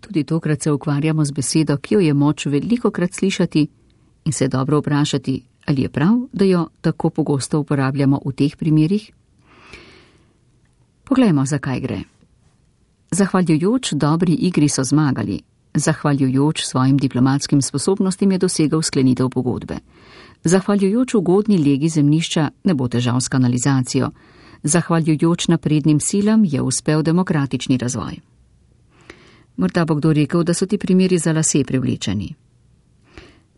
Tudi tokrat se ukvarjamo z besedo, ki jo je moč velikokrat slišati in se dobro vprašati, ali je prav, da jo tako pogosto uporabljamo v teh primerih. Poglejmo, zakaj gre. Zahvaljujoč dobri igri so zmagali. Zahvaljujoč svojim diplomatskim sposobnostim je dosegel sklenitev pogodbe. Zahvaljujoč ugodni legi zemljišča ne bo težav s kanalizacijo. Zahvaljujoč naprednim silam je uspel demokratični razvoj. Morda bo kdo rekel, da so ti primeri za lase privlečeni.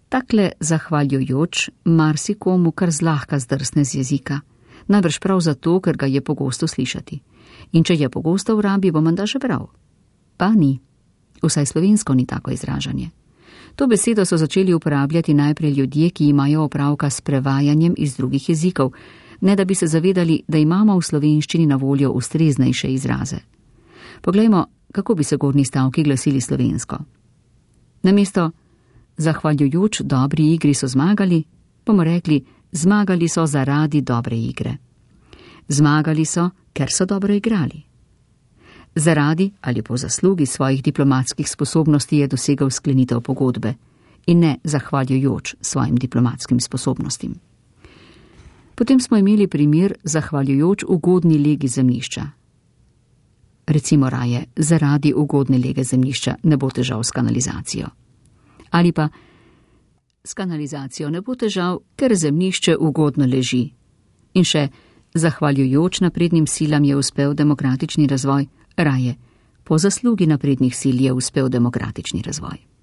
Takle zahvaljujoč marsikomu kar zlahka zdrsne z jezika. Najbrž prav zato, ker ga je pogosto slišati. In če je pogosto v rabi, bo menda že prav. Pa ni. Vsaj slovensko ni tako izražanje. To besedo so začeli uporabljati najprej ljudje, ki imajo opravka s prevajanjem iz drugih jezikov, ne da bi se zavedali, da imamo v slovenščini na voljo ustreznejše izraze. Poglejmo, kako bi se gornji stavki glasili slovensko. Namesto zahvaljujoč dobri igri so zmagali, bomo rekli, zmagali so zaradi dobre igre. Zmagali so, ker so dobro igrali. Zaradi ali po zaslugi svojih diplomatskih sposobnosti je dosegel sklenitev pogodbe in ne zahvaljujoč svojim diplomatskim sposobnostim. Potem smo imeli primer zahvaljujoč ugodni legi zemljišča. Recimo raje, zaradi ugodne lege zemljišča ne bo težav s kanalizacijo. Ali pa s kanalizacijo ne bo težav, ker zemljišče ugodno leži. In še, zahvaljujoč naprednim silam je uspel demokratični razvoj, raje, po zaslugi naprednih sil je uspel demokratični razvoj.